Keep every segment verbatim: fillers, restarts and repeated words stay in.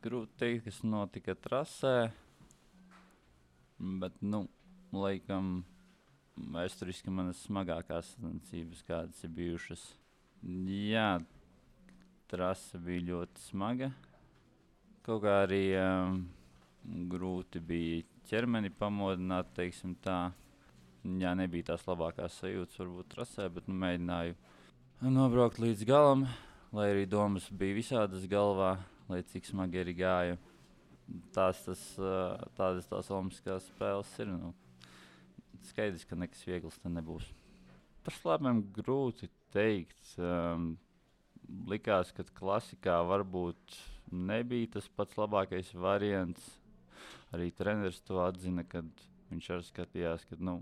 grūti teikt, kas notika trasē, bet, nu, laikam, vēsturiski manas smagākās sacensības, kādas ir bijušas. Jā, trasa bija ļoti smaga. Kaut kā arī um, grūti bija ķermeni pamodināt, teiksim tā. Jā, nebija tās labākās sajūtas varbūt trasē, bet nu, mēģināju nobraukt līdz galam, lai arī domas bija visādas galvā, lai cik smagi arī gāja. Tās, tas, tādas tās olimpiskās spēles ir. Nu, skaidrs, ka nekas viegls te nebūs. Par slēpēm grūti teikt. Um, likās, ka klasikā varbūt nebija tas pats labākais variants. Arī treneris to atzina, kad viņš arī skatījās, ka nu,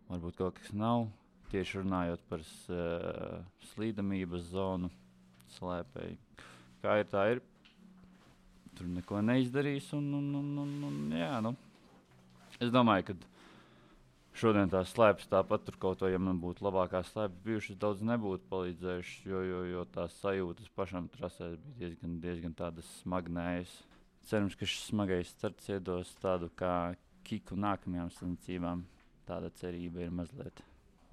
varbūt kaut kas nav. Tieši runājot par uh, slīdamības zonu slēpēji. Kā ir, tā ir. Tur neko neizdarīs. Un, un, un, un, un, jā, nu. Es domāju, ka šodien tās slēpes tāpat tur kaut ko, ja man būtu labākās slēpes bijušas, daudz nebūtu palīdzējušas, jo, jo, jo tās sajūtas pašam trasēs bija diezgan, diezgan tādas smagnējas. Cerams, ka šis smagais starts iedos tādu kā kiku nākamajām sacensībām. Tāda cerība ir mazliet.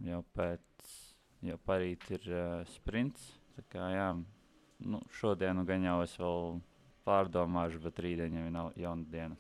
Jau pēc, jau parīt ir uh, sprints. Tā kā jā, nu, šodienu gan jau es vēl pārdomāšu, bet rītdien jau ir jauna diena.